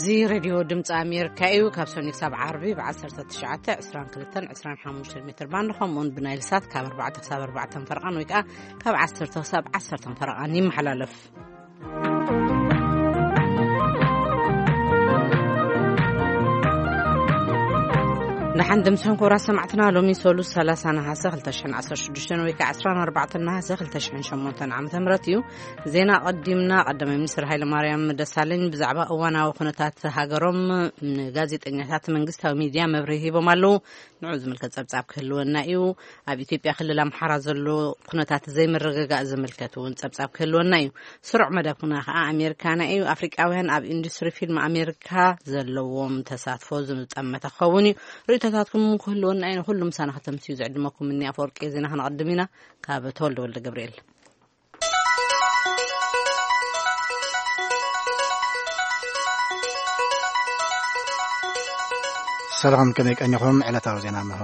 እዚ ሬድዮ ድምፂ ኣሜሪካ እዩ። ካብ ሰኒ ክሳብ ዓርቢ ብ1922 25 ሜትር ባንድ፣ ከምኡውን ብናይል ሳት ካብ ኣርባዕተ ክሳብ ኣርባዕተ ፈረቓን ወይ ከዓ ካብ ዓሰርተ ክሳብ ዓሰርተ ፈረቓን ይመሓላለፍ። ንሓን ድምፅን ክቡራት ሰማዕትና፣ ሎሚ ሰሉስ ሰላሳ ነሓሰ ክልተ ሽሕን ዓሰርተ ሽዱሽተን ወይ ከዓ ዕስራን ኣርባዕተን ነሓሰ ክልተ ሽሕን ሸሞንተን ዓመተ ምህረት እዩ። ዜና ቀዲምና። ቀዳማይ ሚኒስትር ሃይለ ማርያም ደሳለኝ ብዛዕባ እዋናዊ ኩነታት ሃገሮም ንጋዜጠኛታት መንግስታዊ ሚድያ መብርሂ ሂቦም ኣለዉ። ንዑ ዝምልከት ጸብጻብ ክህልወና እዩ። ኣብ ኢትዮጵያ ክልል ኣምሓራ ዘሎ ኩነታት ዘይምርግጋእ ዝምልከት እውን ጸብጻብ ክህልወና እዩ። ስሩዕ መደብና ከኣ ኣሜሪካና እዩ። ኣፍሪቃውያን ኣብ ኢንዱስትሪ ፊልም ኣሜሪካ ዘለዎም ተሳትፎ ዝጠመተ ክኸውን እዩ። ርእይቶታትኩም ክህልወና እዩ። ንኹሉ ምሳና ከተምስዩ ዝዕድመኩም እኒ ኣፈወርቂ። ዜና ክነቐድም ኢና። ካብ ተወልደ ወልደ ገብርኤል። ሰላም፣ ከመይ ቀኒኹም? ዕለታዊ ዜና እንሆ።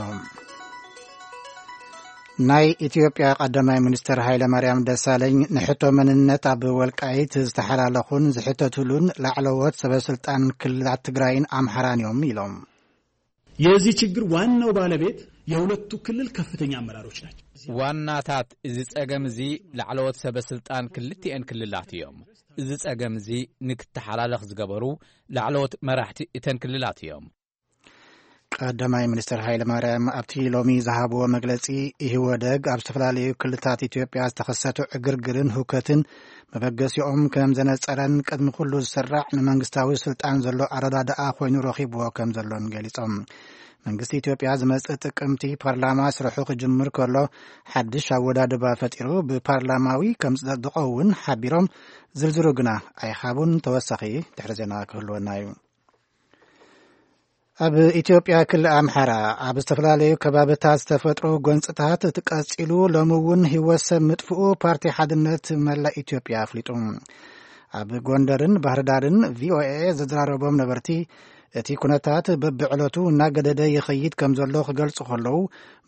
ናይ ኢትዮጵያ ቀዳማይ ሚኒስትር ሃይለ ማርያም ደሳለኝ ንሕቶ መንነት ኣብ ወልቃይት ዝተሓላለኹን ዝሕተትሉን ላዕለዎት ሰበስልጣን ክልላት ትግራይን ኣምሓራን እዮም ኢሎም። የዚህ ችግር ዋናው ባለቤት የሁለቱ ክልል ከፍተኛ አመራሮች ናቸው። ዋናታት እዚ ጸገም እዚ ላዕለዎት ሰበስልጣን ክልቲኤን ክልላት እዮም። እዚ ጸገም እዚ ንክተሓላለኽ ዝገበሩ ላዕለዎት መራሕቲ እተን ክልላት እዮም። ቀዳማይ ሚኒስትር ሃይለ ማርያም ኣብቲ ሎሚ ዝሃብዎ መግለጺ፣ ኢህወደግ ኣብ ዝተፈላለዩ ክልላት ኢትዮጵያ ዝተኸሰቱ ዕግርግርን ሁከትን መበገሲኦም ከም ዘነጸረን ቅድሚ ኩሉ ዝስራዕ ንመንግስታዊ ስልጣን ዘሎ ኣረዳድኣ ኮይኑ ረኺብዎ ከም ዘሎን ገሊጾም። መንግስቲ ኢትዮጵያ ዝመጽእ ጥቅምቲ ፓርላማ ስርሑ ክጅምር ከሎ ሓድሽ ኣወዳድባ ፈጢሩ ብፓርላማዊ ከም ዝጸድቆ እውን ሓቢሮም፣ ዝርዝሩ ግና ኣይሃቡን። ተወሳኺ ድሕሪ ዜና ክህልወና እዩ። ኣብ ኢትዮጵያ ክልል ኣምሓራ ኣብ ዝተፈላለዩ ከባብታት ዝተፈጥሩ ጎንጽታት እቲ ቀጺሉ ሎሚ እውን ህይወት ሰብ ምጥፍኡ ፓርቲ ሓድነት መላእ ኢትዮጵያ ኣፍሊጡ። ኣብ ጎንደርን ባህርዳርን ቪኦኤ ዘዘራረቦም ነበርቲ እቲ ኩነታት በብዕለቱ እናገደደ ይኸይድ ከም ዘሎ ክገልጹ ከለዉ፣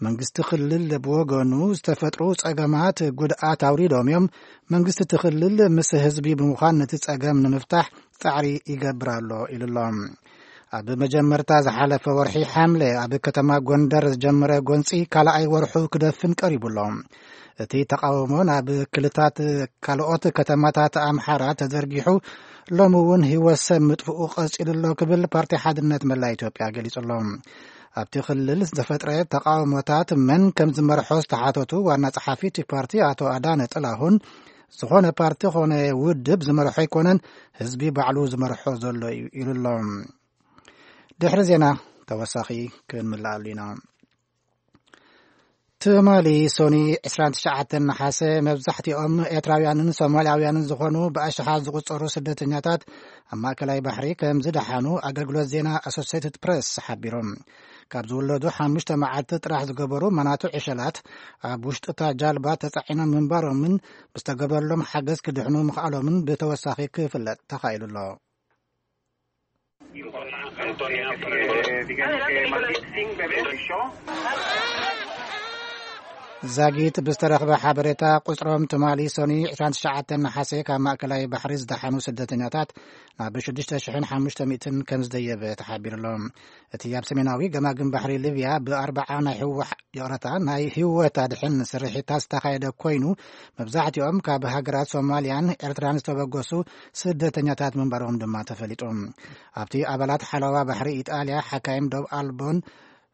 መንግስቲ ክልል ብወገኑ ዝተፈጥሩ ጸገማት ጉድኣት ኣውሪዶም እዮም። መንግስቲ እቲ ክልል ምስ ህዝቢ ብምዃን ነቲ ጸገም ንምፍታሕ ጻዕሪ ይገብር ኣሎ ኢሉ ኣሎ። ኣብ መጀመርታ ዝሓለፈ ወርሒ ሓምለ ኣብ ከተማ ጎንደር ዝጀመረ ጎንጺ ካልኣይ ወርሑ ክደፍን ቀሪቡ ኣሎ። እቲ ተቃውሞ ናብ ክልታት ካልኦት ከተማታት ኣምሓራ ተዘርጊሑ ሎሚ እውን ህይወት ሰብ ምጥፍኡ ቀጺሉ ኣሎ ክብል ፓርቲ ሓድነት መላ ኢትዮጵያ ገሊጹ ኣሎ። ኣብቲ ክልል ዝተፈጥረ ተቃውሞታት መን ከም ዝመርሖ ዝተሓተቱ ዋና ጸሓፊ እቲ ፓርቲ ኣቶ ኣዳነ ጥላሁን፣ ዝኾነ ፓርቲ ኾነ ውድብ ዝመርሖ ኣይኮነን፣ ህዝቢ ባዕሉ ዝመርሖ ዘሎ እዩ ኢሉ ኣሎ። ድሕሪ ዜና ተወሳኺ ክንምልኣሉ ኢና። ትማሊ ሶኒ ዕስራን ትሽዓተን ነሓሰ መብዛሕትኦም ኤርትራውያንን ሶማልያውያንን ዝኾኑ ብኣሽሓት ዝቑጸሩ ስደተኛታት ኣብ ማእከላይ ባሕሪ ከም ዝደሓኑ ኣገልግሎት ዜና ኣሶሴትድ ፕረስ ሓቢሮም። ካብ ዝውለዱ ሓሙሽተ መዓልቲ ጥራሕ ዝገበሩ መናቱ ዕሸላት ኣብ ውሽጢ እታ ጃልባ ተጻዒኖም ምንባሮምን ብዝተገበረሎም ሓገዝ ክድሕኑ ምኽኣሎምን ብተወሳኺ ክፍለጥ ተኻኢሉ ኣሎ። ዛጊት ብዝተረኽበ ሓበሬታ፣ ቁጽሮም ትማሊ ሶኒ ዕስራን ትሽዓተን ነሓሰ ካብ ማእከላይ ባሕሪ ዝደሓኑ ስደተኛታት ናብ ሽዱሽተ ሽሕን ሓሙሽተ ሚእትን ከም ዝደየበ ተሓቢሩ ኣሎ። እቲ ኣብ ሰሜናዊ ገማግም ባሕሪ ሊብያ ብኣርባዓ ናይ ህዋ-፣ ይቕረታ፣ ናይ ህይወት ኣድሕን ስርሒታት ዝተኻየደ ኮይኑ፣ መብዛሕትኦም ካብ ሃገራት ሶማልያን ኤርትራን ዝተበገሱ ስደተኛታት ምንባሮም ድማ ተፈሊጡ። ኣብቲ ኣባላት ሓለዋ ባሕሪ ኢጣልያ፣ ሓካይም ዶብ ኣልቦን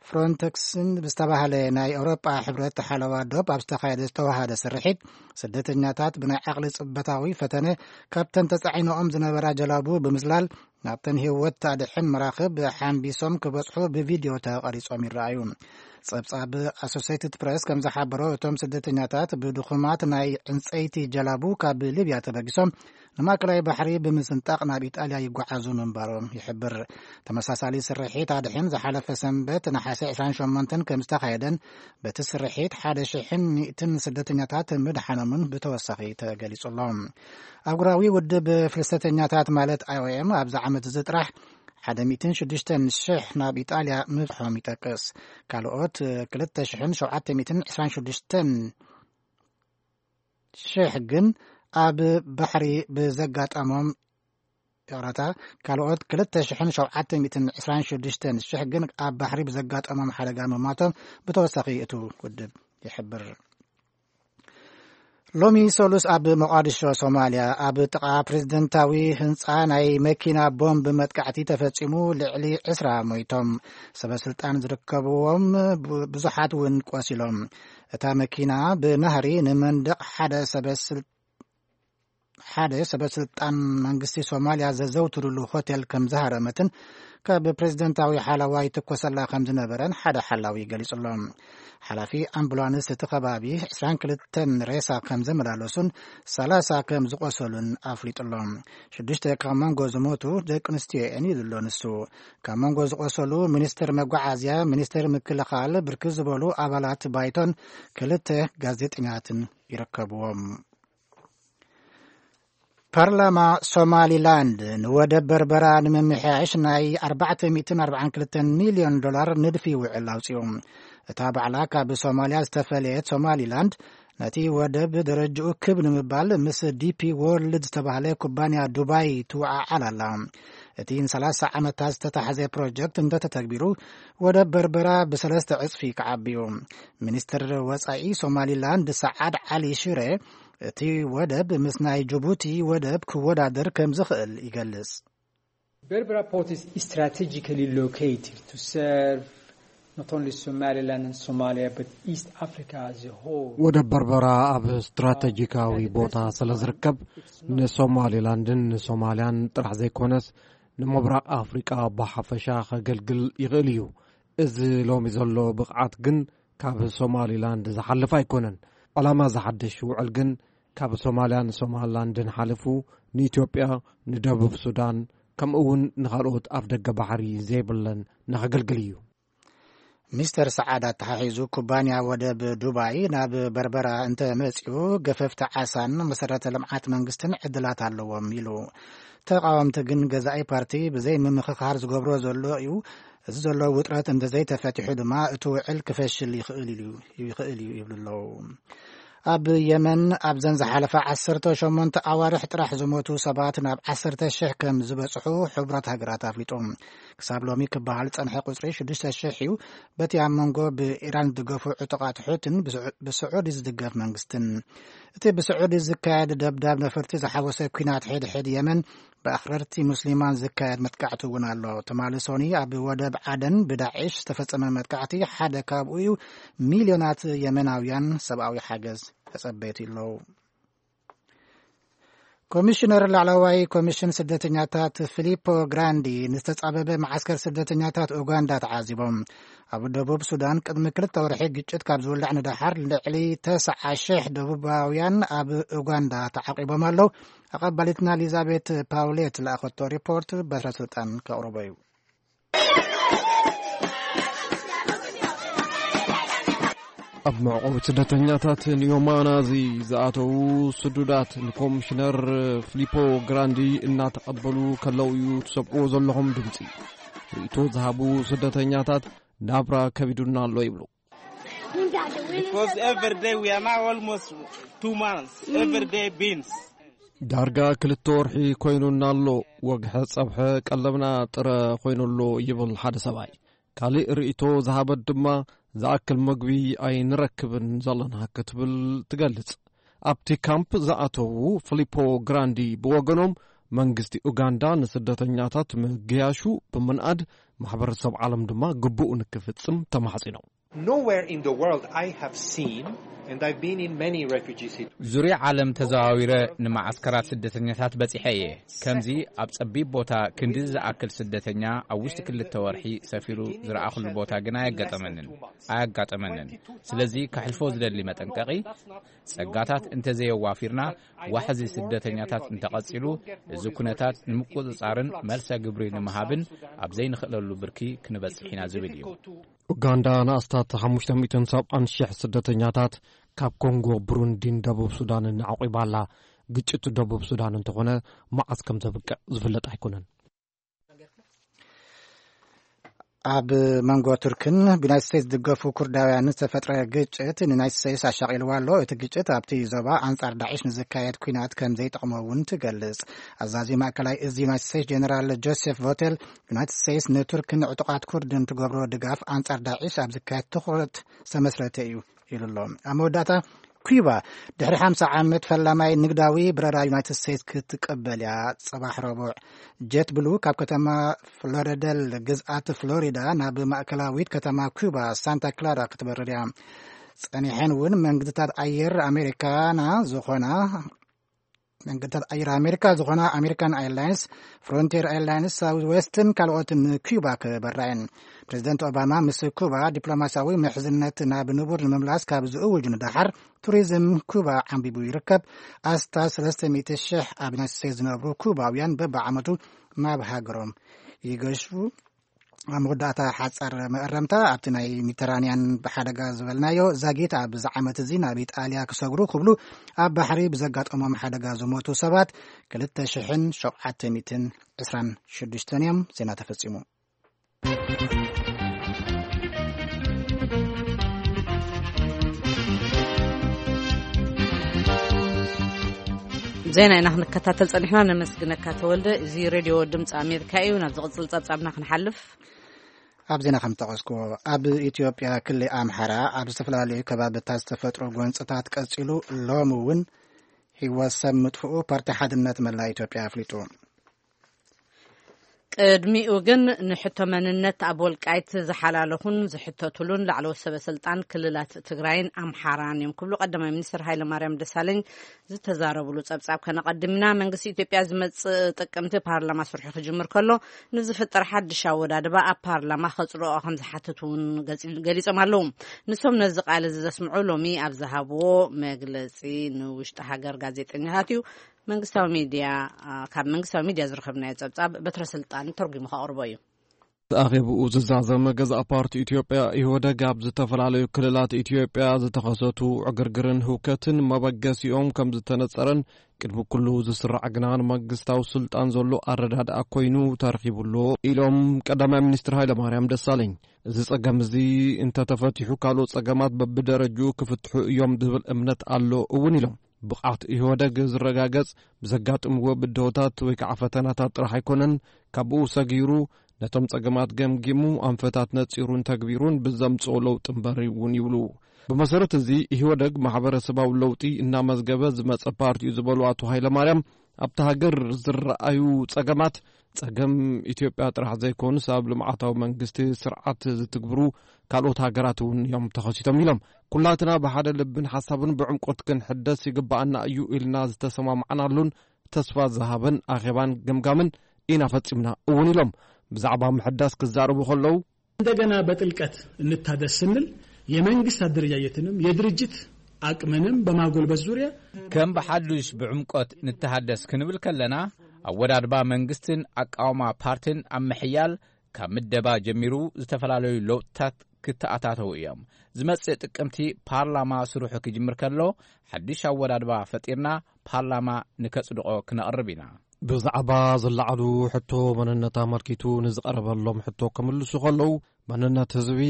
ፍሮንተክስን ብዝተባህለ ናይ ኤውሮጳ ሕብረት ሓለዋ ዶብ ኣብ ዝተኻየደ ዝተዋሃደ ስርሒት፣ ስደተኛታት ብናይ ዓቕሊ ጽበታዊ ፈተነ ካብተን ተጻዒኖኦም ዝነበራ ጀላቡ ብምዝላል ናብተን ህይወት ታድሕን መራኽብ ሓምቢሶም ክበጽሑ ብቪድዮ ተቐሪጾም ይረኣዩ። ጸብጻብ ኣሶሴትድ ፕረስ ከም ዝሓበሮ፣ እቶም ስደተኛታት ብድኹማት ናይ ዕንጸይቲ ጀላቡ ካብ ሊብያ ተበጊሶም ንማእከላይ ባሕሪ ብምስንጣቕ ናብ ኢጣልያ ይጓዓዙ ምንባሮም ይሕብር። ተመሳሳሊ ስርሒት ኣድሕን ዝሓለፈ ሰንበት ነሓሰ ዕስራን ሸሞንተን ከም ዝተኻየደን በቲ ስርሒት ሓደ ሽሕን ሚእትን ስደተኛታት ምድሓኖምን ብተወሳኺ ተገሊጹ ኣሎ። ኣህጉራዊ ውድብ ፍልሰተኛታት ማለት ኣይ ኦ ኤም ኣብዚ ዓመት እዚ ጥራሕ ሓደ ሚእትን ሽዱሽተን ሽሕ ናብ ኢጣልያ ምብጽሖም ይጠቅስ። ካልኦት ክልተ ሽሕን ሸውዓተ ሚእትን ዕስራን ሽዱሽተን ሽሕ ግን ኣብ ባሕሪ ብዘጋጠሞም ይቕረታ፣ ካልኦት ክልተ ሽሕን ሸውዓተ ሚእትን ዕስራን ሽዱሽተን ሽሕ ግን ኣብ ባሕሪ ብዘጋጠሞም ሓደጋ ምማቶም ብተወሳኺ እቲ ውድብ ይሕብር። ሎሚ ሰሉስ ኣብ ሞቓዲሾ ሶማልያ ኣብ ጥቓ ፕሬዝደንታዊ ህንፃ ናይ መኪና ቦምብ መጥቃዕቲ ተፈጺሙ፣ ልዕሊ ዕስራ ሞይቶም። ሰበ ስልጣን ዝርከብዎም ብ-፣ ብዙሓት እውን ቆሲሎም። እታ መኪና ብናህሪ ንመንደቕ ሓደ ሰበ ስል-፣ ሓደ ሰበ ስልጣን መንግስቲ ሶማልያ ዘዘውትሩሉ ሆቴል ከም ዝሃረመትን ካብ ፕሬዝደንታዊ ሓለዋ ይትኮሰላ ከም ዝነበረን ሓደ ሓላዊ ገሊጹ ኣሎ። ሓላፊ ኣምቡላንስ እቲ ከባቢ ዕስራን ክልተን ሬሳ ከም ዘመላለሱን ሰላሳ ከም ዝቆሰሉን ኣፍሊጡ ኣሎ። ሽዱሽተ ካብ መንጎ ዝሞቱ ደቂ ኣንስትዮ እየን ኢሉ ኣሎ ንሱ። ካብ መንጎ ዝቆሰሉ ሚኒስትር መጓዓዝያ፣ ሚኒስትር ምክልኻል፣ ብርክት ዝበሉ ኣባላት ባይቶን ክልተ ጋዜጠኛትን ይርከብዎም። ፓርላማ ሶማሊላንድ ንወደብ በርበራ ንምምሕያሽ ናይ ኣርባዕተ ሚእትን ኣርባዓን ክልተን ሚልዮን ዶላር ንድፊ ውዕል ኣውጺኡ። እታ ባዕላ ካብ ሶማልያ ዝተፈለየት ሶማሊላንድ ነቲ ወደብ ደረጅኡ ክብ ንምባል ምስ ዲፒ ዎርልድ ዝተባህለ ኩባንያ ዱባይ ትወዓዓል ኣላ። እቲ ንሰላሳ ዓመታት ዝተታሕዘ ፕሮጀክት እንተተተግቢሩ፣ ወደብ በርበራ ብሰለስተ ዕጽፊ ክዓቢ እዩ። ሚኒስትር ወጻኢ ሶማሊላንድ ሰዓድ ዓሊ ሽሬ፣ እቲ ወደብ ምስ ናይ ጅቡቲ ወደብ ክወዳደር ከም ዝኽእል ይገልጽ። Berbera port is strategically located to serve not only Somaliland and Somalia, but East Africa as a whole. ወደብ በርበራ ኣብ ስትራተጂካዊ ቦታ ስለ ዝርከብ፣ ንሶማሊላንድን ንሶማልያን ጥራሕ ዘይኮነስ፣ ንምብራቕ ኣፍሪቃ ብሓፈሻ ከገልግል ይኽእል እዩ። እዚ ሎሚ ዘሎ ብቕዓት ግን ካብ ሶማሊላንድ ዝሓልፍ ኣይኮነን። ዕላማ እዚ ሓድሽ ውዕል ግን ካብ ሶማልያን ሶማሊላንድን ሓሊፉ ንኢትዮጵያ፣ ንደቡብ ሱዳን፣ ከምኡ እውን ንኻልኦት ኣፍ ደገ ባሕሪ ዘይብለን ንኸገልግል እዩ። ሚስተር ሰዓድ ኣተሓሒዙ፣ ኩባንያ ወደብ ዱባይ ናብ በርበራ እንተ መጺኡ፣ ገፈፍቲ ዓሳን መሰረተ ልምዓት መንግስትን ዕድላት ኣለዎም ኢሉ። ተቓወምቲ ግን፣ ገዛኢ ፓርቲ ብዘይ ምምኽኻር ዝገብሮ ዘሎ እዩ፣ እዚ ዘሎ ውጥረት እንተዘይተፈቲሑ ድማ፣ እቲ ውዕል ክፈሽል ይኽእል እዩ፣ ይኽእል እዩ ይብሉ ኣለዉ። ኣብ የመን ኣብዘን ዝሓለፋ ዓሰርተ ሸሞንተ ኣዋርሕ ጥራሕ ዝሞቱ ሰባት ናብ ዓሰርተ ሽሕ ከም ዝበጽሑ ሕቡራት ሃገራት ኣፍሊጡ። ክሳብ ሎሚ ክበሃል ዝጸንሐ ቁጽሪ ሽዱሽተ ሽሕ እዩ። በቲ ኣብ መንጎ ብኢራን ዝድገፉ ዕጡቓት ሑትን ብስዑ-፣ ብስዑዲ ዝድገፍ መንግስትን። እቲ ብስዑዲ ዝካየድ ደብዳብ ነፈርቲ ዝሓወሰ ኲናት ሕድሕድ የመን፣ ብኣኽረርቲ ሙስሊማን ዝካየድ መጥቃዕቲ እውን ኣሎ። ትማሊ ሶኒ ኣብ ወደብ ዓደን ብዳዕሽ ዝተፈጸመ መጥቃዕቲ ሓደ ካብኡ እዩ። ሚልዮናት የመናውያን ሰብኣዊ ሓገዝ ተጸበይቲ ኣለዉ። ኮሚሽነር ላዕለዋይ ኮሚሽን ስደተኛታት ፊሊፖ ግራንዲ ንዝተጻበበ መዓስከር ስደተኛታት ኡጋንዳ ተዓዚቦም። ኣብ ደቡብ ሱዳን ቅድሚ ክልተ ወርሒ ግጭት ካብ ዝውላዕ ንደሓር ልዕሊ ተስዓ ሽሕ ደቡባውያን ኣብ ኡጋንዳ ተዓቂቦም ኣለዉ። ኣቐባሊትና ኤሊዛቤት ፓውሌት ዝለኣኸቶ ሪፖርት በትረ ስልጣን ከቕርቦ እዩ። ኣብ መዕቆቢ ስደተኛታት ንዮማና እዚ ዝኣተዉ ስዱዳት ንኮሚሽነር ፊሊፖ ግራንዲ እናተቐበሉ ከለዉ እዩ ትሰምዕዎ ዘለኹም ድምፂ። ርእይቶ ዝሃቡ ስደተኛታት ናብራ ከቢዱና ኣሎ ይብሉ። Because every day we are now almost two months. Every day beans. ዳርጋ ክልተ ወርሒ ኮይኑና ኣሎ። ወግሐ ጸብሐ ቀለብና ጥረ ኮይኑ ኣሎ ይብል ሓደ ሰብኣይ። ካልእ ርእይቶ ዝሃበት ድማ ዝኣክል መግቢ ኣይንረክብን ዘለና ክትብል ትገልጽ። ኣብቲ ካምፕ ዝኣተዉ ፊሊፖ ግራንዲ ብወገኖም መንግስቲ ኡጋንዳ ንስደተኛታት ምግያሹ ብምንኣድ ማሕበረሰብ ዓለም ድማ ግቡኡ ንክፍጽም ተማሕጺኖም። Nowhere in the world I have seen, and I've been in many refugee situations. ዙርያ ዓለም ተዘዋዊረ ንመዓስከራት ስደተኛታት በጺሐ እየ። ከምዚ ኣብ ጸቢብ ቦታ ክንዲ ዝኣክል ስደተኛ ኣብ ውሽጢ ክልተ ወርሒ ሰፊሩ ዝረኣኹሉ ቦታ ግን ኣየጋጠመንን፣ ኣያጋጠመንን። ስለዚ ከሕልፎ ዝደሊ መጠንቀቒ፣ ጸጋታት እንተዘየዋፊርና፣ ዋሕዚ ስደተኛታት እንተቐጺሉ፣ እዚ ኩነታት ንምቁጽጻርን መልሰ ግብሪ ንምሃብን ኣብ ዘይንኽእለሉ ብርኪ ክንበጽሕ ኢና ዝብል እዩ። ኡጋንዳ ንኣስታት ሓሙሽተ ሚእትን ሰብዓን ሽሕ ስደተኛታት ካብ ኮንጎ፣ ብሩንዲን ደቡብ ሱዳንን ኣዕቂባ ኣላ። ግጭት ደቡብ ሱዳን እንተኾነ መዓስ ከም ዘብቅዕ ዝፍለጥ ኣይኮነን። ኣብ መንጎ ቱርክን ብዩናይትድ ስቴትስ ዝድገፉ ኩርዳውያን ዝተፈጥረ ግጭት ንዩናይትድ ስቴትስ ኣሻቒልዋ ኣሎ። እቲ ግጭት ኣብቲ ዞባ ኣንጻር ዳዕሽ ንዝካየድ ኲናት ከም ዘይጠቕሞ እውን ትገልጽ። ኣዛዚ ማእከላይ እዚ ዩናይትድ ስቴትስ ጀነራል ጆሴፍ ቮቴል፣ ዩናይትድ ስቴትስ ንቱርክን ዕጡቓት ኩርድን ትገብሮ ድጋፍ ኣንጻር ዳዕሽ ኣብ ዝካየድ ትኹረት ዝተመስረተ እዩ ኢሉ ኣሎ። ኣብ መወዳእታ፣ ኩባ ድሕሪ ሓምሳ ዓመት ፈላማይ ንግዳዊ በረራ ዩናይትድ ስቴትስ ክትቅበል እያ። ጽባሕ ረቡዕ፣ ጀት ብሉ ካብ ከተማ ፍሎሪደል ግዝኣት ፍሎሪዳ ናብ ማእከላዊት ከተማ ኩባ ሳንታ ክላራ ክትበርር እያ። ጸኒሐን እውን መንግድታት ኣየር ኣሜሪካና ዝኾና መንገድታት ኣየር ኣሜሪካ ዝኾና ኣሜሪካን ኤርላይንስ፣ ፍሮንቲር ኤርላይንስ፣ ሳውዝ ዌስትን ካልኦትን ንኩባ ክበራ እየን። ፕሬዚደንት ኦባማ ምስ ኩባ ዲፕሎማሲያዊ ምሕዝነት ናብ ንቡር ንምምላስ ካብ ዝእውጁ ንደሓር፣ ቱሪዝም ኩባ ዓንቢቡ ይርከብ። ኣስታት ሰለስተ ሚእቲ ሽሕ ኣብ ዩናይትድ ስቴትስ ዝነብሩ ኩባውያን በብዓመቱ ናብ ሃገሮም ይገሹ። ኣብ መወዳእታ ሓጻር መእረምታ፣ ኣብቲ ናይ ሜዲተራንያን ብሓደጋ ዝበልናዮ ዛጊት ኣብዚ ዓመት እዚ ናብ ኢጣልያ ክሰግሩ ክብሉ ኣብ ባሕሪ ብዘጋጠሞም ሓደጋ ዝሞቱ ሰባት ክልተ ሽሕን ሸውዓተ ሚእትን ዕስራን ሽዱሽተን እዮም። ዜና ተፈጺሙ። ዜና ኢና ክንከታተል ጸኒሕና። ነመስግነካ ተወልደ። እዚ ሬድዮ ድምፂ ኣሜሪካ እዩ። ናብ ዝቕፅል ጸብጻብና ክንሓልፍ፣ ኣብ ዜና ከም ዝጠቐስኩዎ፣ ኣብ ኢትዮጵያ ክልል ኣምሓራ ኣብ ዝተፈላለዩ ከባብታት ዝተፈጥሮ ጎንፅታት ቀፂሉ ሎሚ እውን ህይወት ሰብ ምጥፍኡ ፓርቲ ሓድነት መላ ኢትዮጵያ ኣፍሊጡ። ቅድሚኡ ግን ንሕቶ መንነት ኣብ ወልቃይት ዝሓላለኹን ዝሕተቱሉን ላዕለዎት ሰበ ስልጣን ክልላት ትግራይን ኣምሓራን እዮም ክብሉ ቀዳማይ ሚኒስትር ሃይለማርያም ደሳለኝ ዝተዛረብሉ ጸብጻብ ከነቐድም ኢና። መንግስቲ ኢትዮጵያ ዝመጽእ ጥቅምቲ ፓርላማ ስርሑ ክጅምር ከሎ ንዝፍጠር ሓድሽ ኣወዳድባ ኣብ ፓርላማ ከጽድቆ ከም ዝሓትት እውን ገጺ-፣ ገሊጾም ኣለዉ። ንሶም ነዚ ቃል እዚ ዘስምዑ ሎሚ ኣብ ዝሃብዎ መግለጺ ንውሽጢ ሃገር ጋዜጠኛታት እዩ። መንግስታዊ ሚድያ፣ አ፣ ካብ መንግስታዊ ሚድያ ዝረኸብናዮ ጸብጻብ በትረ ስልጣን ተርጉሙ ከቕርቦ እዩ። ኣኼብኡ ዝዛዘመ ገዛእ ፓርቲ ኢትዮጵያ ኢህወደግ ኣብ ዝተፈላለዩ ክልላት ኢትዮጵያ ዝተኸሰቱ ዕግርግርን ህውከትን መበገሲኦም ከም ዝተነጸረን ቅድሚ ኩሉ ዝስራዕ ግና ንመንግስታዊ ስልጣን ዘሎ ኣረዳድኣ ኮይኑ ተረኺቡ ኣሎ ኢሎም ቀዳማይ ሚኒስትር ሃይለማርያም ደሳለኝ። እዚ ጸገም እዚ እንተተፈቲሑ ካልኦት ጸገማት በብደረጅኡ ክፍትሑ እዮም ዝብል እምነት ኣሎ እውን ኢሎም። ብቕዓት ኢህወደግ ዝረጋገጽ ብዘጋጥምዎ ብድሆታት ወይ ከዓ ፈተናታት ጥራሕ ኣይኮነን፣ ካብኡ ሰጊሩ ነቶም ጸገማት ገምጊሙ ኣንፈታት ነጺሩን ተግቢሩን ብዘምጽኦ ለውጢ እምበር እውን ይብሉ። ብመሰረት እዚ ኢህወደግ ማሕበረሰባዊ ለውጢ እናመዝገበ ዝመጸ ፓርቲ እዩ ዝበሉ ኣቶ ሃይለማርያም፣ ኣብታ ሃገር ዝረኣዩ ጸገማት ጸገም ኢትዮጵያ ጥራሕ ዘይኮኑስ ኣብ ልምዓታዊ መንግስቲ ስርዓት ዝትግብሩ ካልኦት ሃገራት እውን እዮም ተኸሲቶም ኢሎም። ኩላትና ብሓደ ልብን ሓሳብን ብዕምቆት ክንሕደስ ይግባኣና እዩ ኢልና ዝተሰማማዕናሉን ተስፋ ዝሃበን ኣኼባን ግምጋምን ኢና ፈጺምና እውን ኢሎም። ብዛዕባ ምሕዳስ ክዛረቡ ከለዉ፣ እንደገና በጥልቀት እንታደስ ስንል የመንግስት አደረጃጀትንም የድርጅት አቅምንም በማጎልበት ዙሪያ ከም ብሓዱሽ ብዕምቆት ንተሃደስ ክንብል ከለና፣ ኣወዳድባ መንግስትን ኣቃውማ ፓርትን ኣብ ምሕያል ካብ ምደባ ጀሚሩ ዝተፈላለዩ ለውጥታት ክተኣታተዉ እዮም። ዝመጽእ ጥቅምቲ ፓርላማ ስርሑ ክጅምር ከሎ ሓድሽ ኣወዳድባ ፈጢርና ፓርላማ ንከጽድቆ ክነቕርብ ኢና። ብዛዕባ ዝለዓሉ ሕቶ መንነት ኣመልኪቱ ንዝቐረበሎም ሕቶ ክምልሱ ከለዉ፣ መንነት ህዝቢ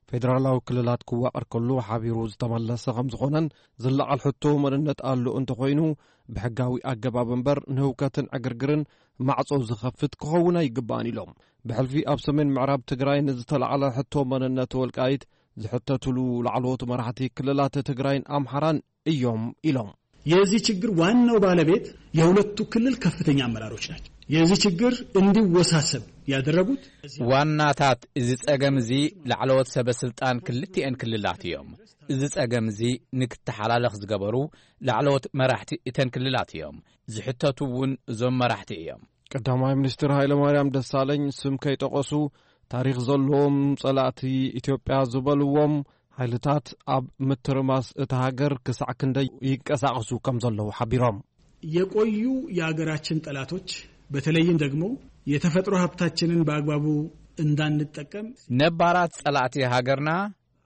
ፌደራላዊ ክልላት ክዋቐር ከሎ ሓቢሩ ዝተመለሰ ከም ዝኾነን ዝለዓል ሕቶ መንነት ኣሎ እንተኾይኑ ብሕጋዊ ኣገባብ እምበር ንህውከትን ዕግርግርን ማዕጾ ዝኸፍት ክኸውን ኣይግባእን ኢሎም። ብሕልፊ ኣብ ሰሜን ምዕራብ ትግራይ ንዝተላዕለ ሕቶ መንነት ወልቃይት ዝሕተቱሉ ላዕለዎት መራሕቲ ክልላት ትግራይን ኣምሓራን እዮም ኢሎም። የዚህ ችግር ዋናው ባለቤት የሁለቱ ክልል ከፍተኛ አመራሮች ናቸው። የዚህ ችግር እንዲወሳሰብ ያደረጉት ዋናታት እዚ ጸገም እዚ ላዕለዎት ሰበ ስልጣን ክልቲኤን ክልላት እዮም። እዚ ጸገም እዚ ንክተሓላለኽ ዝገበሩ ላዕለዎት መራሕቲ እተን ክልላት እዮም። ዝሕተቱ እውን እዞም መራሕቲ እዮም። ቀዳማይ ሚኒስትር ሃይለማርያም ደሳለኝ ስም ከይጠቐሱ ታሪኽ ዘለዎም ጸላእቲ ኢትዮጵያ ዝበልዎም ሓይልታት ኣብ ምትርማስ እታ ሃገር ክሳዕ ክንደይ ይንቀሳቐሱ ከም ዘለዉ ሓቢሮም። የቆዩ የሀገራችን ጠላቶች በተለይም ደግሞ የተፈጥሮ ሀብታችንን በአግባቡ እንዳንጠቀም ነባራት ጸላእቲ ሃገርና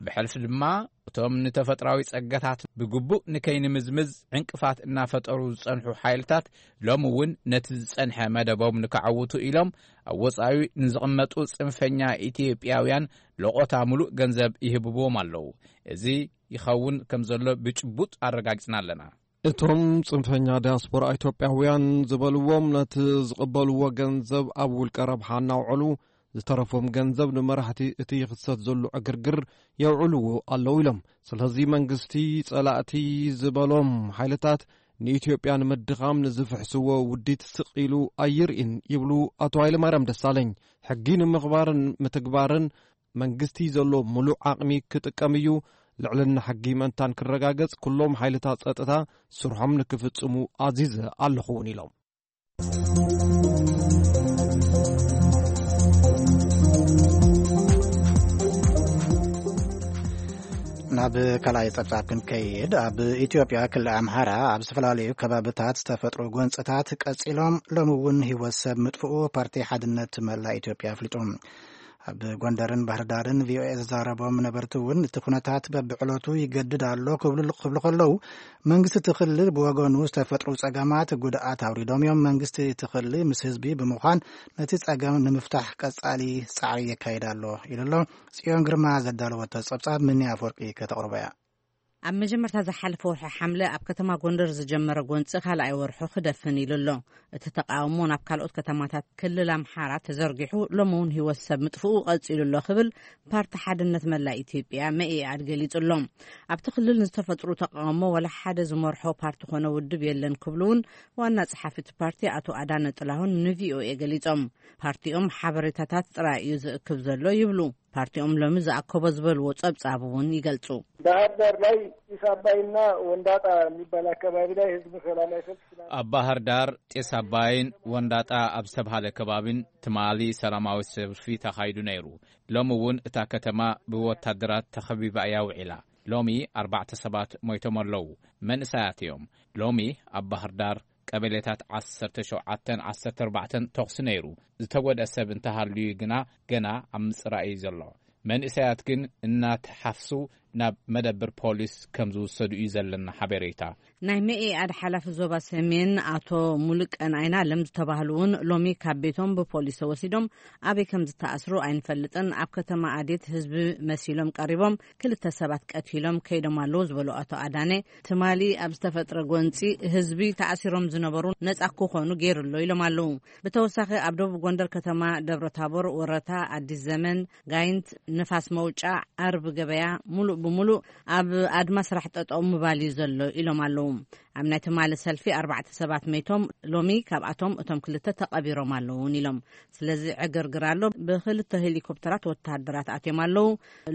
ብሕልፊ ድማ እቶም ንተፈጥራዊ ጸጋታት ብግቡእ ንከይንምዝምዝ ዕንቅፋት እናፈጠሩ ዝጸንሑ ሓይልታት ሎሚ እውን ነቲ ዝጸንሐ መደቦም ንከዐውቱ ኢሎም ኣብ ወጻኢ ንዝቕመጡ ጽንፈኛ ኢትዮጵያውያን ለቖታ ምሉእ ገንዘብ ይህብዎም ኣለዉ። እዚ ይኸውን ከም ዘሎ ብጭቡጥ ኣረጋጊጽና ኣለና። እቶም ጽንፈኛ ዲያስፖራ ኢትዮጵያውያን ዝበልዎም ነቲ ዝቕበልዎ ገንዘብ ኣብ ውልቀ ረብሓ እናውዕሉ ዝተረፎም ገንዘብ ንመራሕቲ እቲ ይኽሰት ዘሎ ዕግርግር የውዕልዎ ኣለዉ ኢሎም። ስለዚ መንግስቲ ጸላእቲ ዝበሎም ሓይልታት ንኢትዮጵያ ንምድኻም ንዝፍሕስዎ ውዲት ስቕ ኢሉ ኣይርእን ይብሉ ኣቶ ሃይለማርያም ደሳለኝ። ሕጊ ንምኽባርን ምትግባርን መንግስቲ ዘሎ ምሉእ ዓቕሚ ክጥቀም እዩ። ልዕልና ሕጊ ምእንታን ክረጋገጽ ኩሎም ሓይልታት ጸጥታ ስርሖም ንክፍጽሙ ኣዚዘ ኣለኹ እውን ኢሎም። ናብ ካልኣይ ጸብጻብ ክንከይድ፣ ኣብ ኢትዮጵያ ክልል ኣምሓራ ኣብ ዝተፈላለዩ ከባብታት ዝተፈጥሩ ጎንጽታት ቀጺሎም ሎም እውን ህይወት ሰብ ምጥፍኡ ፓርቲ ሓድነት መላ ኢትዮጵያ ኣፍሊጡ። ኣብ ጎንደርን ባህርዳርን ቪኦኤ ዘዛረቦም ነበርቲ እውን እቲ ኩነታት በብዕለቱ ይገድድ ኣሎ ክብሉ ክብሉ ከለዉ፣ መንግስቲ እቲ ክልል ብወገኑ ዝተፈጥሩ ጸገማት ጉድኣት ኣውሪዶም እዮም። መንግስቲ እቲ ክልል ምስ ህዝቢ ብምዃን ነቲ ጸገም ንምፍታሕ ቀጻሊ ጻዕሪ የካይድ ኣሎ ኢሉ ኣሎ። ጽዮን ግርማ ዘዳለወቶ ጸብጻብ ምኒ ኣፈወርቂ ከተቕርቦ እያ። ኣብ መጀመርታ ዝሓለፈ ወርሒ ሓምለ ኣብ ከተማ ጎንደር ዝጀመረ ጎንፂ ካልኣይ ወርሑ ክደፍን ኢሉ ኣሎ። እቲ ተቃውሞ ናብ ካልኦት ከተማታት ክልል ኣምሓራ ተዘርጊሑ ሎሚ እውን ህይወት ሰብ ምጥፍኡ ቀፂሉ ኣሎ ክብል ፓርቲ ሓድነት መላ ኢትዮጵያ መኢኣድ ገሊጹ ኣሎ። ኣብቲ ክልል ንዝተፈጥሩ ተቃውሞ ወላ ሓደ ዝመርሖ ፓርቲ ኮነ ውድብ የለን ክብሉ እውን ዋና ጸሓፊ እቲ ፓርቲ ኣቶ ኣዳነ ጥላሁን ንቪኦኤ ገሊጾም። ፓርቲኦም ሓበሬታታት ጥራይ እዩ ዝእክብ ዘሎ ይብሉ። ፓርቲኦም ሎሚ ዝኣከቦ ዝበልዎ ጸብጻብ እውን ይገልጹ። ባህር ዳር ላይ ጢስ አባይና ወንዳጣ የሚባል አካባቢ ላይ ህዝብ ሰላማዊ ሰልፍ ትናንት ኣብ ባህር ዳር ጢስ ኣባይን ወንዳጣ ኣብ ዝተባሃለ ከባቢን ትማሊ ሰላማዊ ሰልፊ ተኻይዱ ነይሩ። ሎሚ እውን እታ ከተማ ብወታደራት ተኸቢባ እያ ውዒላ። ሎሚ ኣርባዕተ ሰባት ሞይቶም ኣለዉ። መንእሰያት እዮም። ሎሚ ኣብ ባህር ዳር ቀበሌታት ዓሰርተ ሸውዓተን ዓሰርተ ኣርባዕተን ተኹሲ ነይሩ። ዝተጎድአ ሰብ እንተሃልዩ ግና ገና ኣብ ምጽራይ እዩ ዘሎ። መንእሰያት ግን እናተሓፍሱ ናብ መደብር ፖሊስ ከም ዝውሰዱ እዩ ዘለና ሓበሬታ። ናይ መኢኣድ ሓላፊ ዞባ ሰሜን ኣቶ ሙሉቀን ኣይናለም ዝተባህሉ እውን ሎሚ ካብ ቤቶም ብፖሊስ ተወሲዶም ኣበይ ከም ዝተኣስሩ ኣይንፈልጥን። ኣብ ከተማ ኣዴት ህዝቢ መሲሎም ቀሪቦም ክልተ ሰባት ቀቲሎም ከይዶም ኣለዉ ዝበሉ ኣቶ ኣዳነ፣ ትማሊ ኣብ ዝተፈጥረ ጎንፂ ህዝቢ ተኣሲሮም ዝነበሩ ነፃ ክኾኑ ገይሩ ኣሎ ኢሎም ኣለዉ። ብተወሳኺ ኣብ ደቡብ ጎንደር ከተማ ደብረ ታቦር፣ ወረታ፣ ኣዲስ ዘመን፣ ጋይንት፣ ንፋስ መውጫ፣ ዓርቢ ገበያ ሙሉእ ብሙሉእ ኣብ ኣድማ ስራሕ ጠጠው ምባል እዩ ዘሎ ኢሎም ኣለዉ። ኣብ ናይ ትማሊ ሰልፊ ኣርባዕተ ሰባት መይቶም፣ ሎሚ ካብኣቶም እቶም ክልተ ተቐቢሮም ኣለዉ እውን ኢሎም። ስለዚ ዕግርግር ኣሎ። ብክልተ ሄሊኮፕተራት ወተሃደራት ኣትዮም ኣለዉ።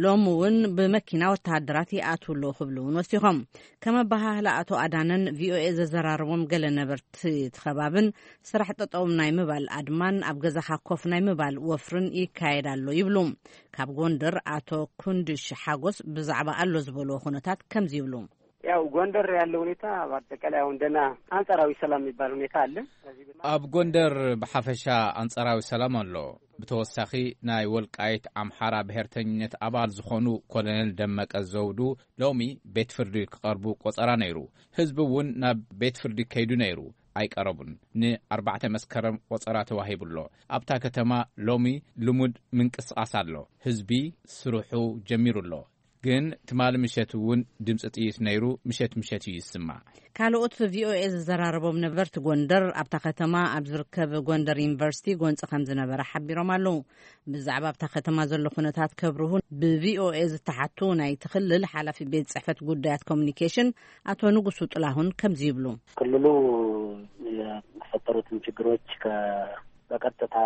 ሎሚ እውን ብመኪና ወተሃደራት ይኣትዉ ኣለዉ ክብሉ እውን ወሲኾም። ከም ኣበሃህላ ኣቶ ኣዳነን ቪኦኤ ዘዘራረቦም ገለ ነበርቲ እቲ ከባብን ስራሕ ጠጠው ናይ ምባል ኣድማን ኣብ ገዛኻ ኮፍ ናይ ምባል ወፍርን ይካየድ ኣሎ ይብሉ። ካብ ጎንደር ኣቶ ኩንድሽ ሓጎስ ብዛዕባ ኣሎ ዝበልዎ ኩነታት ከምዚ ይብሉ። ያው ጎንደር ያለው ሁኔታ በአጠቃላይ አሁን ደህና አንጻራዊ ሰላም የሚባል ሁኔታ አለ። ከዚህ በ- ኣብ ጎንደር ብሓፈሻ ኣንጻራዊ ሰላም ኣሎ። ብተወሳኺ ናይ ወልቃይት ኣምሓራ ብሄርተኝነት ኣባል ዝኾኑ ኮሎኔል ደመቀ ዘውዱ ሎሚ ቤት ፍርዲ ክቐርቡ ቆጸራ ነይሩ። ህዝቢ እውን ናብ ቤት ፍርዲ ከይዱ ነይሩ፣ ኣይቀረቡን። ንኣርባዕተ መስከረም ቆጸራ ተዋሂቡ ኣሎ። ኣብታ ከተማ ሎሚ ልሙድ ምንቅስቓስ ኣሎ። ህዝቢ ስርሑ ጀሚሩ ኣሎ። ግን ትማሊ ምሸት እውን ድምፂ ጥይት ነይሩ፣ ምሸት ምሸት እዩ ይስማዕ። ካልኦት ቪኦኤ ዝዘራረቦም ነበርቲ ጎንደር ኣብታ ከተማ ኣብ ዝርከብ ጎንደር ዩኒቨርሲቲ ጎንፂ ከም ዝነበረ ሓቢሮም ኣለዉ። ብዛዕባ ኣብታ ከተማ ዘሎ ኩነታት ከብርሁ ብቪኦኤ ዝተሓቱ ናይቲ ክልል ሓላፊ ቤት ጽሕፈት ጉዳያት ኮሚኒኬሽን ኣቶ ንጉሱ ጥላሁን ከምዚ ይብሉ። ክልሉ የተፈጠሩትን ችግሮች ከ- በቀጥታ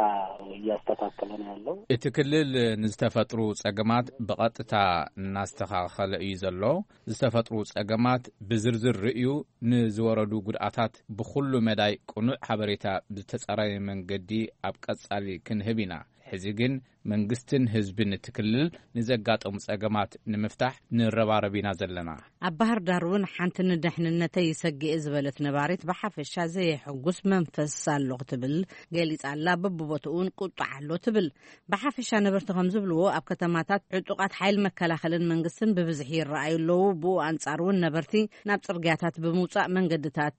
እያስተካከለ ነው ያለው። እቲ ክልል ንዝተፈጥሩ ጸገማት ብቐጥታ እናስተኻኸለ እዩ ዘሎ። ዝተፈጥሩ ጸገማት ብዝርዝር ርእዩ፣ ንዝወረዱ ጉድኣታት ብኹሉ መዳይ ቅኑዕ ሓበሬታ ብተጻራሪ መንገዲ ኣብ ቀጻሊ ክንህብ ኢና። ሕዚ ግን መንግስትን ህዝብን እቲ ክልል ንዘጋጠሙ ጸገማት ንምፍታሕ ንረባረብ ኢና ዘለና። ኣብ ባህር ዳር እውን ሓንቲ ንድሕንነተይ ይሰግእ ዝበለት ነባሪት ብሓፈሻ ዘየሐጉስ መንፈስ ኣሎ ክትብል ገሊጻ ኣላ። በብቦትኡ እውን ቁጥዓ ኣሎ ትብል። ብሓፈሻ ነበርቲ ከም ዝብልዎ ኣብ ከተማታት ዕጡቓት ሓይል መከላኸልን መንግስትን ብብዝሒ ይረኣዩ ኣለዉ። ብኡ ኣንጻር እውን ነበርቲ ናብ ጽርግያታት ብምውጻእ መንገድታት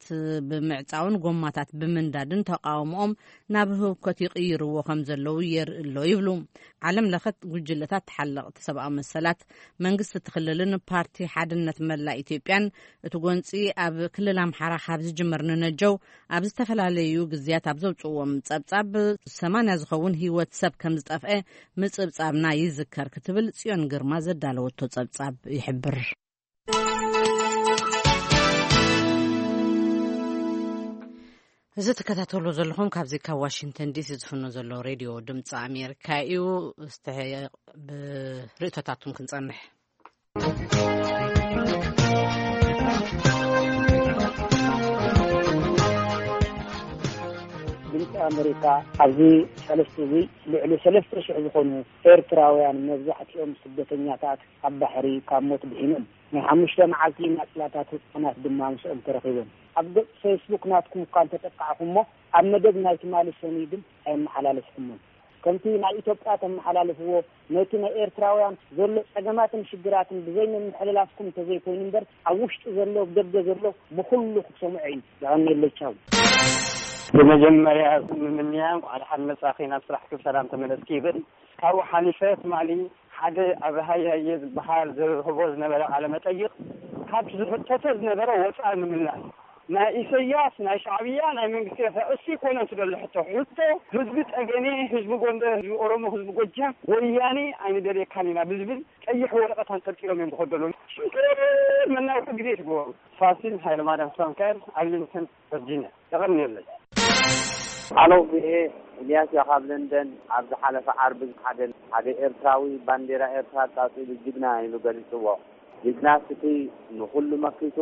ብምዕጻውን ጎማታት ብምንዳድን ተቃውሞኦም ናብ ህውከት ይቕይርዎ ከም ዘለዉ የርኢ ኣሎ ይብሉ። ዓለም ለኸት ጉጅለታት ተሓለቕቲ ሰብኣዊ መሰላት መንግስቲ እቲ ክልልን ፓርቲ ሓድነት መላእ ኢትዮጵያን እቲ ጎንፂ ኣብ ክልል ኣምሓራ ካብ ዝጅመር ንነጀው ኣብ ዝተፈላለዩ ግዝያት ኣብ ዘውፅዎም ፀብፃብ ሰማንያ ዝኸውን ህይወት ሰብ ከም ዝጠፍአ ምፅብፃብና ይዝከር ክትብል ፅዮን ግርማ ዘዳለወቶ ፀብፃብ ይሕብር። እዚ ትከታተሉ ዘለኹም ካብዚ ካብ ዋሽንግተን ዲሲ ዝፍኖ ዘሎ ሬድዮ ድምፂ ኣሜሪካ እዩ። እስተ ብርእቶታቱም ክንፀንሕ። ድምፂ ኣሜሪካ ኣብዚ ሰለስተ እዚ ልዕሊ ሰለስተ ሽሕ ዝኾኑ ኤርትራውያን መብዛሕትኦም ስደተኛታት ኣብ ባሕሪ ካብ ሞት ድሒኖም። ናይ ሓሙሽተ መዓልቲ ናጽላታት ህጻናት ድማ ምስኦም ተረኺቦም። ኣብ ገጽ ፌስቡክ ናትኩም እኳ እንተጠቃዕኹሞ፣ ኣብ መደብ ናይ ትማሊ ሰኑይ ግን ኣየመሓላለፍኩሞን። ከምቲ ናይ ኢትዮጵያ ተመሓላልፍዎ፣ ነቲ ናይ ኤርትራውያን ዘሎ ጸገማትን ሽግራትን ብዘይ ምምሕልላፍኩም እንተዘይኮይኑ እምበር፣ ኣብ ውሽጢ ዘሎ፣ ኣብ ደገ ዘሎ ብኹሉ ክሰምዖ እዩ። የቐንየለይ፣ ቻው። ብመጀመርያ ምምንያ እንኳዕ ደሓን መጻኺ፣ ናብ ስራሕኪ ብሰላም ተመለስኪ ይብል። ካብኡ ሓሊፈ ትማሊ ሓደ ኣብ ሃያየ ዝበሃል ዝህቦ ዝነበረ ቃለ መጠይቕ፣ ካብቲ ዝሕተተ ዝነበረ ወፃኢ ምምላስ፣ ናይ ኢሰያስ፣ ናይ ሻዕብያ፣ ናይ መንግስቲ ኤርትራ፣ እሱ ይኮነን ትደሎ ሕቶ። ሕቶ ህዝቢ ጠገኔ፣ ህዝቢ ጎንደር፣ ህዝቢ ኦሮሞ፣ ህዝቢ ጎጃም፣ ወያኔ ኣይንደልየካን ኢና ብዝብል ቀይሕ ወረቐት ኣንጠልጢሎም እዮም ዝኸዱ ዘለዉ። ሽግር መናውሒ ግዜ ትግበሩ። ፋሲል ሃይለማርያም ሳንካየር፣ ኣርሊንግተን ቨርጂኒያ። የቐንየለይ። ሃሎ ቪኦኤ፣ ኢልያስ እያ ካብ ለንደን። ኣብ ዝሓለፈ ዓርቢ ሓደ፣ ሓደ ኤርትራዊ ባንዴራ ኤርትራ ኣቃጺሉ ጅግና ኢሉ ገሊጽዎ። ጅግናስ እቲ ንኹሉ መኪቱ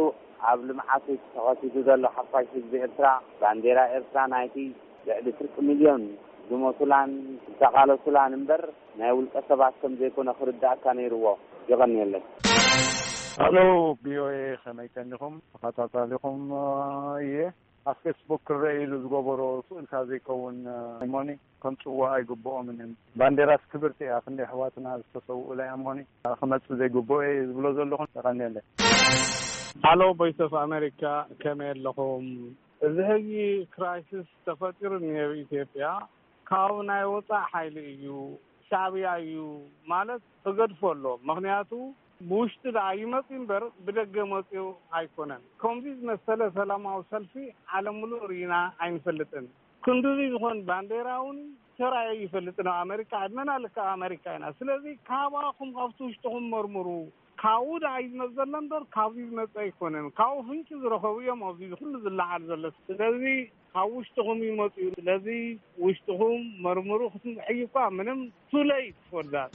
ኣብ ልምዓቱ ተኸሲቱ ዘሎ ሓፋሽ ህዝቢ ኤርትራ፣ ባንዴራ ኤርትራ ናይቲ ልዕሊ ፍርቂ ሚልዮን ዝሞቱላን ዝተቓለሱላን እምበር ናይ ውልቀ ሰባት ከም ዘይኮነ ክርድኣካ ነይርዎ። የቐንየለይ። ሃሎ ቪኦኤ፣ ከመይ ቀኒኹም? ተኸታታሊኹም እየ። ኣብ ፌስቡክ ክረአ ኢሉ ዝገበሮ ስእልካ ዘይከውን፣ እ፣ ሃይሞኒ ከምጽዎ ኣይግብኦምን እዮም። ባንዴራስ ክብርቲ እያ፣ ክንደይ ኣሕዋትና ዝተሰውኡላ እያ እሞኒ፣ እ፣ ክመጽእ ዘይግብኦ እየ ዝብሎ ዘለኹ። የቐንየለይ። ሃሎ ቮይስ ኦፍ ኣሜሪካ፣ ከመይ ኣለኹም? እዚ ሕጂ ክራይሲስ ተፈጢሩ እኒሀ ኣብ ኢትዮጵያ፣ ካብኡ ናይ ወፃእ ሓይሊ እዩ፣ ሻዕብያ እዩ ማለት ተገድፎ ኣሎ። ምኽንያቱ ብውሽጢ ደኣ ይመጽእ እምበር ብደገ መጽኡ ኣይኮነን። ከምዚ ዝመሰለ ሰላማዊ ሰልፊ ዓለም ምሉእ ርኢና ኣይንፈልጥን። ክንድዚ ዝኾን ባንዴራ እውን ተራእዩ ይፈልጥን ኣብ ኣሜሪካ። ዕድመና ልክዕ ኣሜሪካ ኢና። ስለዚ ካባኹም ካብቲ ውሽጥኹም መርምሩ። ካብኡ ደኣ እዩ ዝመጽእ ዘሎ እምበር ካብዚ ዝመጽእ ኣይኮነን። ካብኡ ፍንጭ ዝረኸቡ እዮም ኣብዚ ኩሉ ዝለዓል ዘሎ። ስለዚ ካብ ውሽጥኹም ይመጽኡ። ስለዚ ውሽጥኹም መርምሩ። ክትምሕዩ እኳ ምንም too late for that።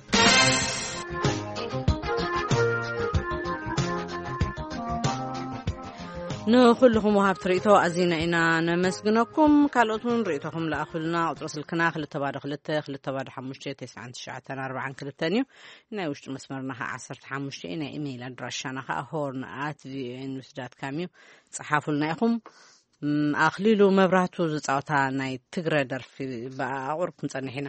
ንኹልኹም ወሃብቲ ርእይቶ ኣዚና ኢና ነመስግነኩም። ካልኦት እውን ርእይቶኹም ለኣኹልና። ቁጽሪ ስልክና ክልተ ባዶ ክልተ፣ ክልተ ባዶ ሓሙሽተ፣ ተስዓን ትሽዓተን ኣርባዓን ክልተን እዩ። ናይ ውሽጢ መስመርና ኸዓ ዓሰርተ ሓሙሽተ እዩ። ናይ ኢሜይል ኣድራሻና ኸዓ ሆርን ኣት ቪኦኤ ኒውስ ዳት ካም እዩ። ጸሓፉልና ኢኹም። ም፣ ኣኽሊሉ መብራህቱ ዝጻወታ ናይ ትግረ ደርፊ ብኣቑር ክንጸንሕ ኢና።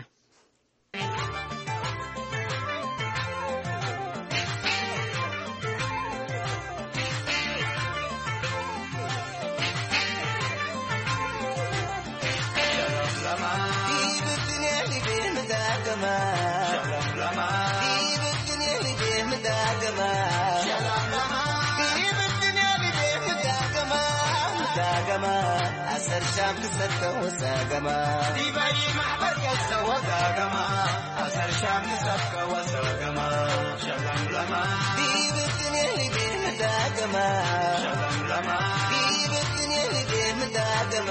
ኣሰር ሻም ክሰብከ ወሰገማ ዲበይ ማሕበር ከሰወ ዳገማ ኣሰር ሻም ክሰብከ ወሰገማ ሸለምለማ ዲብትኔ ሊቤ ምዳገማ ሸለምለማ ዲብትኔ ሊቤ ምዳገማ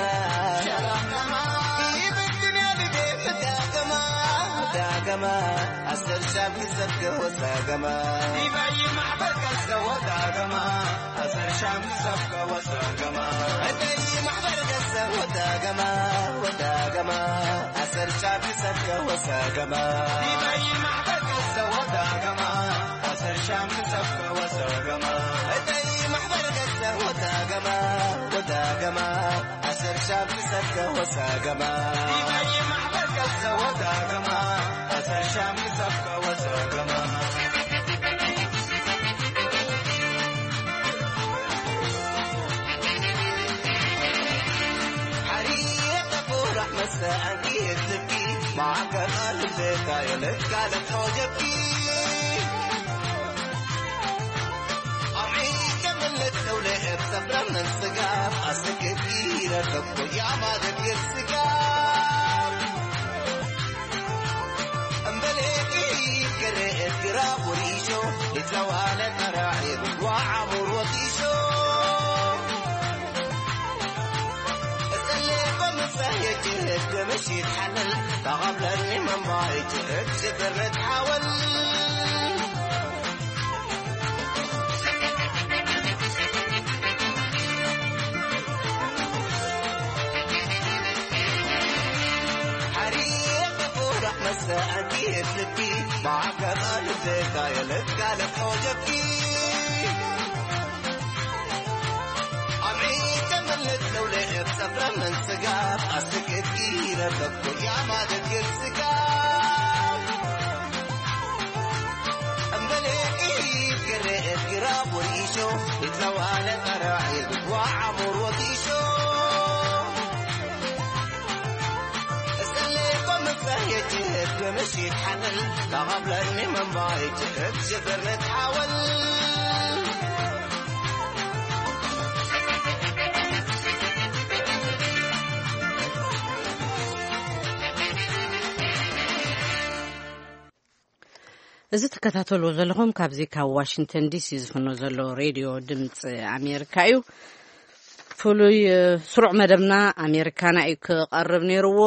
ሸለምለማ ዲብትኔ ሊቤ ምዳገማ ምዳገማ ኣሰር ሻም ክሰብከ ወሰገማ ዲበይ ማሕበር ከሰወ ዳገማ ኣሰር ሻም ክሰብከ ወሰገማ እደይ ማሕበር ከሰወ ዳገማ ወዳገማ ኣሰር ሻም ክሰብከ ወሰገማ ዲበይ ማሕበር ከሰወ ዳገማ ኣሰር ሻም ክሰብከ ወሰገማ እደይ ኣሰር ሻም ክሰብከ ወሰገማ ማዕበል ከሰ ወሰገማ ኣሰር ሻም ክሰብከ ወሰገማ ሓሪየ ተቁራዕ መስተ ኣንኪ ህዝብኪ ማዕከል ኣልምዘታ የለካ ለተወጀብኪ ኣምዒ ከምነት ተውለ እብ ሰፍረ መንስጋ ኣስክኪ ረከብኮ ያማደግር ስጋ እምበሌ ኢከረ እግራ ወሪሾ ሊትለዋለ ተራዒ ብጓ ዓሙር ወጢሾ እጸሌኮ ምጸየጅ እግ ምሽት ሓለል ተቐብለኒ መማይጅ እግ ሽግር ንትሓወል ሓሪቕ ቁራዕ መስተ ኣንኪ እትልኪ ማዕከል ኣልዘካ የለካ ለተወጀብኪ ኣምዒ ተመልት ለውለ እብ ሰፍረ መንስጋ ኣስክኪ ረከብኩ ያማ ደግር ስጋ እምበሌ ኢድ ገረ እግራ ወሪሾ እትለዋለ ቀራዒ ብጓ ዓሙር ወጊሾ እሰሌኮ ምጸየች እብ ምሽት ሓለል ተቐብለኒ መማየች እብ ሽግር ንትሓወል እዚ ትከታተልዎ ዘለኹም ካብዚ ካብ ዋሽንግተን ዲሲ ዝፍኖ ዘሎ ሬድዮ ድምፂ ኣሜሪካ እዩ። ፍሉይ ስሩዕ መደብና ኣሜሪካና እዩ ክቐርብ ነይርዎ።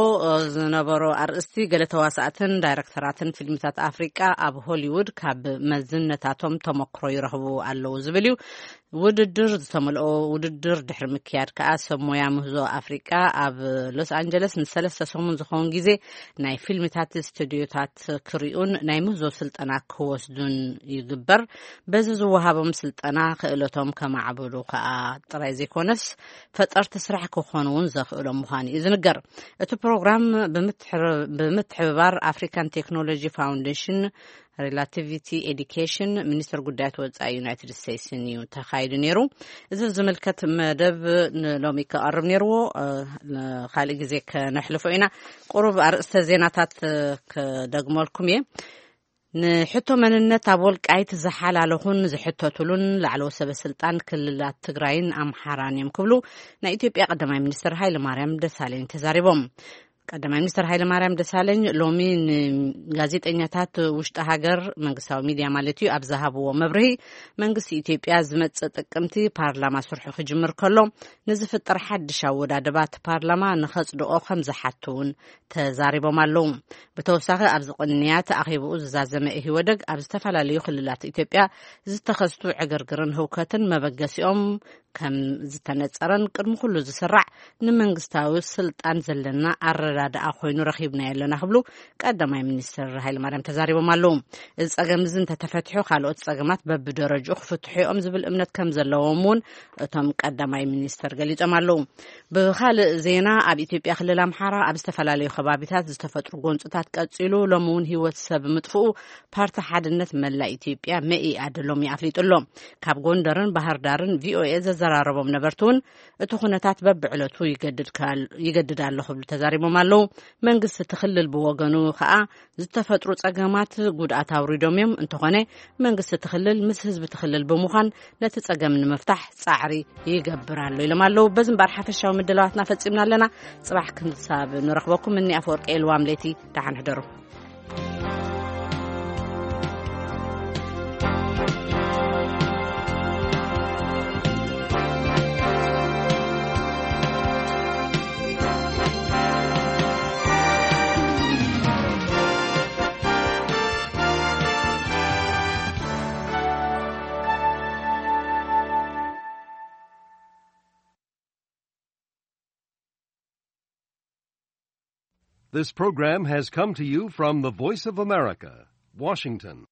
ዝነበሮ ኣርእስቲ ገለ ተዋሳእትን ዳይረክተራትን ፊልምታት ኣፍሪቃ ኣብ ሆሊውድ ካብ መዝነታቶም ተመክሮ ይረኽቡ ኣለዉ ዝብል እዩ። ውድድር ዝተመልኦ ውድድር ድሕሪ ምክያድ ከኣ ሰብ ሞያ ምህዞ ኣፍሪቃ ኣብ ሎስ ኣንጀለስ ንሰለስተ ሰሙን ዝኸውን ግዜ ናይ ፊልምታት ስቱድዮታት ክሪኡን ናይ ምህዞ ስልጠና ክወስዱን ይግበር። በዚ ዝወሃቦም ስልጠና ክእለቶም ከማዕብሉ ከኣ ጥራይ ዘይኮነስ ፈጠርቲ ስራሕ ክኾኑ እውን ዘኽእሎም ምዃኑ እዩ ዝንገር። እቲ ፕሮግራም ብምትሕር- ብምትሕብባር ኣፍሪካን ቴክኖሎጂ ፋውንዴሽን ሪላቲቪቲ ኤዲኬሽን ሚኒስትር ጉዳያት ወፃኢ ዩናይትድ ስቴትስን እዩ ተኻይዱ ነይሩ። እዚ ዝምልከት መደብ ንሎሚ ክቐርብ ነይርዎ፣ ካልእ ግዜ ከነሕልፎ ኢና። ቁሩብ ኣርእስተ ዜናታት ክደግመልኩም እየ። ንሕቶ መንነት ኣብ ወልቃይት ዝሓላለኹን ዝሕተቱሉን ላዕለዎ ሰበ ስልጣን ክልላት ትግራይን ኣምሓራን እዮም ክብሉ ናይ ኢትዮጵያ ቀዳማይ ሚኒስትር ሃይለ ማርያም ደሳለኝ ተዛሪቦም። ቀዳማይ ሚኒስትር ሃይለ ማርያም ደሳለኝ ሎሚ ንጋዜጠኛታት ውሽጢ ሃገር መንግስታዊ ሚድያ ማለት እዩ ኣብ ዝሃብዎ መብርሂ መንግስቲ ኢትዮጵያ ዝመጽእ ጥቅምቲ ፓርላማ ስርሑ ክጅምር ከሎ ንዝፍጠር ሓድሽ ኣወዳድባት ፓርላማ ንኸጽድቆ ከም ዝሓቱ እውን ተዛሪቦም ኣለዉ። ብተወሳኺ ኣብዚ ቅንያት ኣኼብኡ ዝዛዘመ ኢህወደግ ኣብ ዝተፈላለዩ ክልላት ኢትዮጵያ ዝተኸስቱ ዕግርግርን ህውከትን መበገሲኦም ከም ዝተነጸረን ቅድሚ ኩሉ ዝስራዕ ንመንግስታዊ ስልጣን ዘለና ኣረዳድኣ ኮይኑ ረኺብናዮ ኣለና ክብሉ ቀዳማይ ሚኒስትር ሃይለማርያም ተዛሪቦም ኣለዉ። እዚ ጸገም እዚ እንተተፈትሑ ካልኦት ጸገማት በብደረጅኡ ክፍትሑ እዮም ዝብል እምነት ከም ዘለዎም እውን እቶም ቀዳማይ ሚኒስትር ገሊጾም ኣለዉ። ብኻልእ ዜና ኣብ ኢትዮጵያ ክልል ኣምሓራ ኣብ ዝተፈላለዩ ከባቢታት ዝተፈጥሩ ጎንፅታት ቀጺሉ ሎሚ እውን ህይወት ሰብ ምጥፍኡ ፓርቲ ሓድነት መላእ ኢትዮጵያ መኢኣድ ሎሚ ኣፍሊጡ ኣሎ። ካብ ጎንደርን ባህር ዳርን ቪኦኤ ዘዘራረቦም ነበርቲ እውን እቲ ኩነታት በብዕለቱ ይገድድ ኣሎ ክብሉ ተዛሪቦም ኣለዉ። መንግስቲ እቲ ክልል ብወገኑ ከዓ ዝተፈጥሩ ጸገማት ጉድኣት ኣውሪዶም እዮም። እንተኾነ መንግስቲ እቲ ክልል ምስ ህዝቢ እቲ ክልል ብምዃን ነቲ ጸገም ንምፍታሕ ጻዕሪ ይገብር ኣሎ ኢሎም ኣለዉ። በዚ እምበኣር ሓፈሻዊ ምድላዋትና ፈጺምና ኣለና። ጽባሕ ክንሳብ ንረኽበኩም እኒ ኣፈወርቂ ኤልዋም ለይቲ ደሓን ሕደሩ። This program has come to you from the Voice of America, Washington.